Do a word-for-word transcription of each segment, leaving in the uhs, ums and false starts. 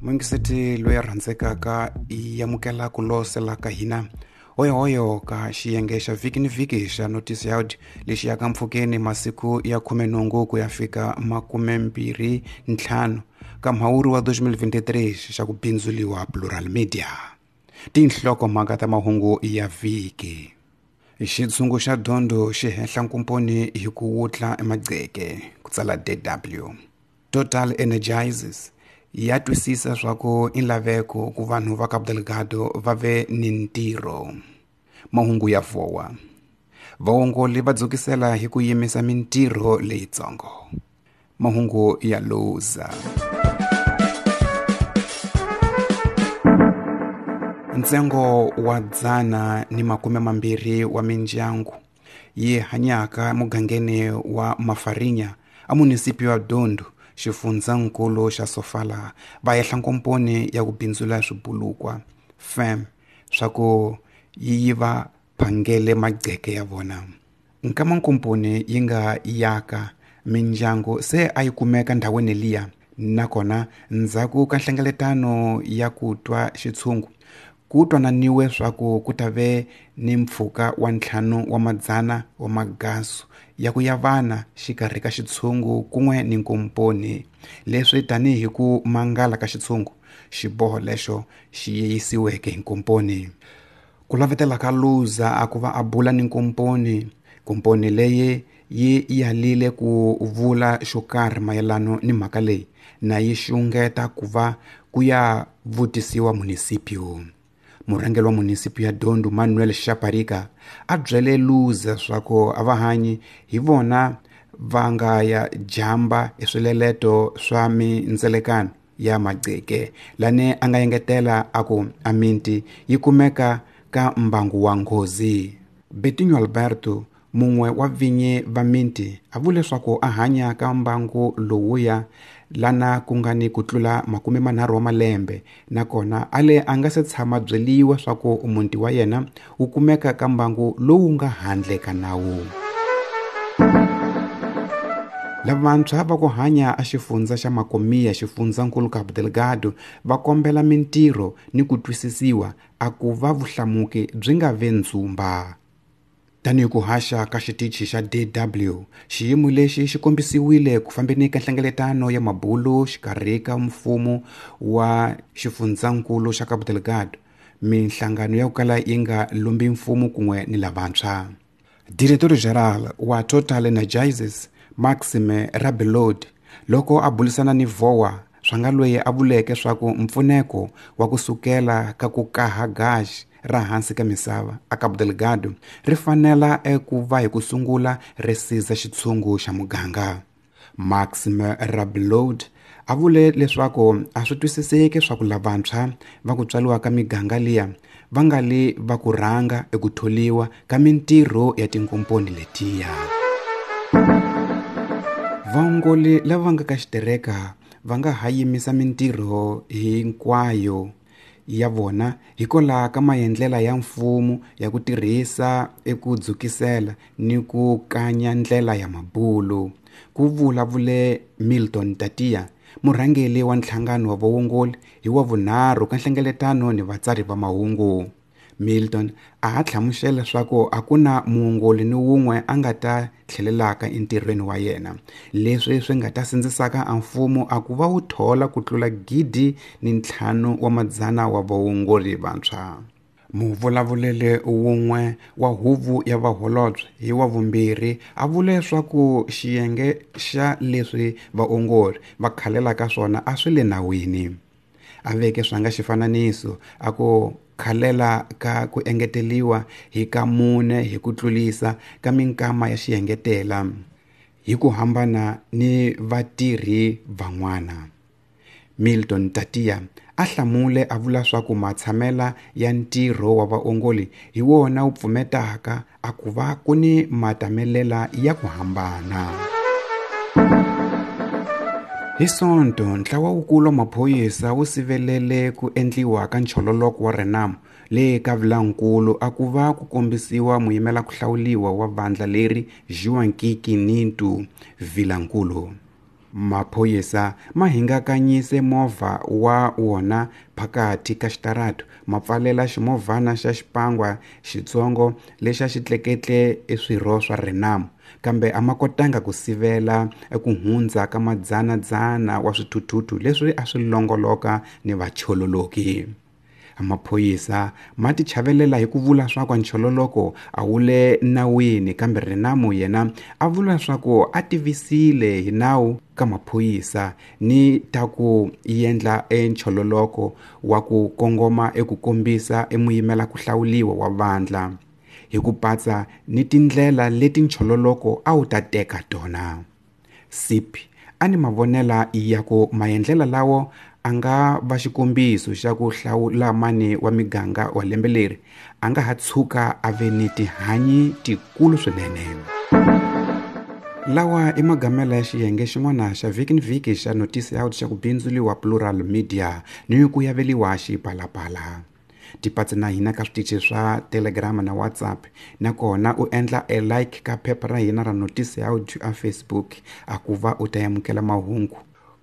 Mungiseti loyi a rhandzekaka i amukela ku losela ka hina hoyohoyo ka xiyenge xa vhiki ni vhiki xa Notice Yard lexi yaka mpfhukeni masiku ya khumenhungu ku ya fika makumembirhi ntlhanu ka mhawuri wa twenty twenty-three xa ku bindzuliwa Plural Media. Tinhlokomhaka ta mahungu ya vhiki. Xitshungu xa dyondzo xi henhla nkomponi hi ku wutla emagceke ku tsala D W. Total Energizes ya twisisa swa ku i laveko ku vanhu va Cabo Delgado va ve ni ntirho. Mahungu ya vowa. Vaongoli va dzukisela hi ku yimisa mintirho leyitsongo. Mahungu ya Luza. Ntsengo wa dzana ni makume mambirhi wa mindyangu yi hanyaka mugangeni wa Mafarinya a munisipio wa Dondo xifundzankulu xa Sofala va yehla nkomponi ya ku bindzula swibulukwa fem swa ku yi yiva phangele magceke ya vona. Nkama nkomponi yi nga yaka mindyangu se a yi kumeka ndhawini liya nakona ndzhaku ka nhlengeletano ya ku twa xitshungu ku twananiwe swa ku ku ta ve ni mpfhuka wa ntlhanu wa madzana wa magasu ya ku ya vana xikarhi ka xitshungu kun'we ni nkomponi leswi tanihi ku mangala ka xitshungu xiboho lexo xi yisiweke hi nkomponi. Ku lavetela ka Luza a ku va a bula ni nkomponi nkomponi leyi yi yalile ku vula xo karhi mayelano ni mhaka leyi na yi xungeta ku va ku ya vutisiwa munisipio. Murhangeri wa munisipio ya Dondo Manuel Shaparika a byele Luza swa ku a va hanyi hi vona va nga ya jamba eswileleto swa mindzelekano ya magceke lane a nga engetela a ku a minti yi kumeka ka mbangu wa nghozi. Betinho Alberto mun'we wa vinyi va minti a vule leswaku a hanya ka mbangu lowuya lana ku nga ni ku tlula makume manharhu wa malembe nakona a le a nga se tshama byeliwa swa ku muti wa yena wu kumeka ka mbangu lowu nga handle ka nawu. Lavantshwa va ku hanya a xifundza xa Makomia xifundzankulu Cabo Delgado va kombela mintirho ni ku twisisiwa a ku va vuhlamuki byi nga ve ndzumba. Tanihi ku haxa ka xitichi xa D W, xiyimo lexi xi kombisiwile ku fambeni ka nhlengeletano ya mabulu xikarhi ka mfumo wa xifundzankulu xa Cabo Delgado, minhlangano ya ku kala yi nga lombi mfumo kun'we ni lavantshwa. Director General wa Total Energizes Maxime Rabelod loko a bulisana ni vowa swa nga loyi a vuleke swa ku mpfuneko wa ku sukela ka ku kaha gaji ra hansi ka misava a Cabo Delgado ri fanela eku va hi ku sungula ri siza xitshungu xa muganga. Maxime Rabelod a vule leswaku a swi twisiseki swa ku lavantshwa va ku tswariwa ka miganga liya va nga li va ku rhanga eku tholiwa ka mintirho ya tinkomponi letiya. Vaongoli lava nga ka xitereka va nga ha yimisa mintirho hinkwayo ya vona hikwalaho ka maendlela ya mfumo ya ku tirhisa eku dzukisela ni ku kanya ndlela ya mabulu, ku vulavule Milton Tatia, murhangeri wa nhlangano wa vaongoli hi wa vunharhu ka nhlengeletano ni vatsari va mahungu. Milton a ha hlamusela leswaku a ku na muongoli ni wun'we a nga ta tlhelelaka entirhweni wa yena, leswi swi nga ta sindzisaka a mfumo a ku va wu thola ku tlula gidi ni ntlhanu wa madzana wa vaongoli vantshwa. Muvulavuleli wun'we wa huvo ya vaholobye hi wa vumbirhi a vule leswaku xiyenge xa leswi vaongori va khalelaka swona a swi le nawini. A veke swa nga xifananiso a ku khalela ka ku engeteliwa hi ka mune hi ku tlulisa ka minkama ya xiengetela hi ku hambana ni vatirhi van'wana. Milton Tatia a hlamule a vula swa ku matshamela ya ntirho wa vaongoli hi wona wu pfumetaka a ku va ku ni matamelela ya ku hambana. Hi Sonto, ntlawa wukulu wa maphorisa wu sivelele ku endliwa ka nchololoko wa Renamo le ka Vilankulu a ku va ku kombisiwa muyimela ku hlawuliwa wa vandla leri João Kiki Nintu Vilankulu. Maphorisa ma hingakanyise movha wa wona phakathi ka xitarata, ma pfalela ximovhana xa xipangwa xitsongo lexi a xi tleketle eswirho swa Renamo, kambe a ma kotanga ku sivela ku hundza ka madzanadzana wa swithuthuthu leswi a swi longoloka ni vachololoki. Maphorisa ma tichavelela hi ku vula swa ku nchololoko a wu le nawini, kambe Renamo yena a vula swa ku a tivisile hi nawu ka maphorisa ni ta ku endla enchololoko wa ku kongoma eku kombisa emuyimela ku hlawuliwa wa vandla hi ku patsa ni tindlela leti nchololoko a wu ta teka tona. Sipi a ni mavonela ya ku maendlela lawo a nga va xikombiso xa ku hlawula mani wa miganga wa lembe leri a nga ha tshuka a ve ni tihanyi tikulu swinene. Lawa i magamela ya xiyenge xin'wana xa vhiki ni vhiki xa Notisi Out xa ku bindzuliwa Plural Media ni ku yaveliwa xipalapala. Tipatsi na hina ka switichi swa Telegram na WhatsApp, nakona u endla e like ka phepha ra hina ra Notisi Out a Facebook a ku va u ta amukela mahungu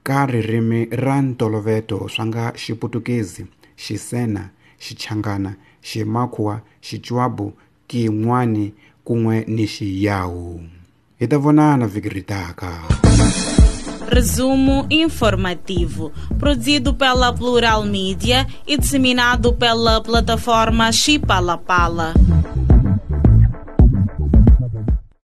ka ririmi ra ntoloveto swa nga Xiputukezi, Xisena, Xichangana, Ximakhuwa, Xichwabu, Kin'wani kun'we ni Xiyawu. Hi ta vonana vhiki ri taka. Resumo informativo, produzido pela Plural Mídia e disseminado pela plataforma Xipalapala.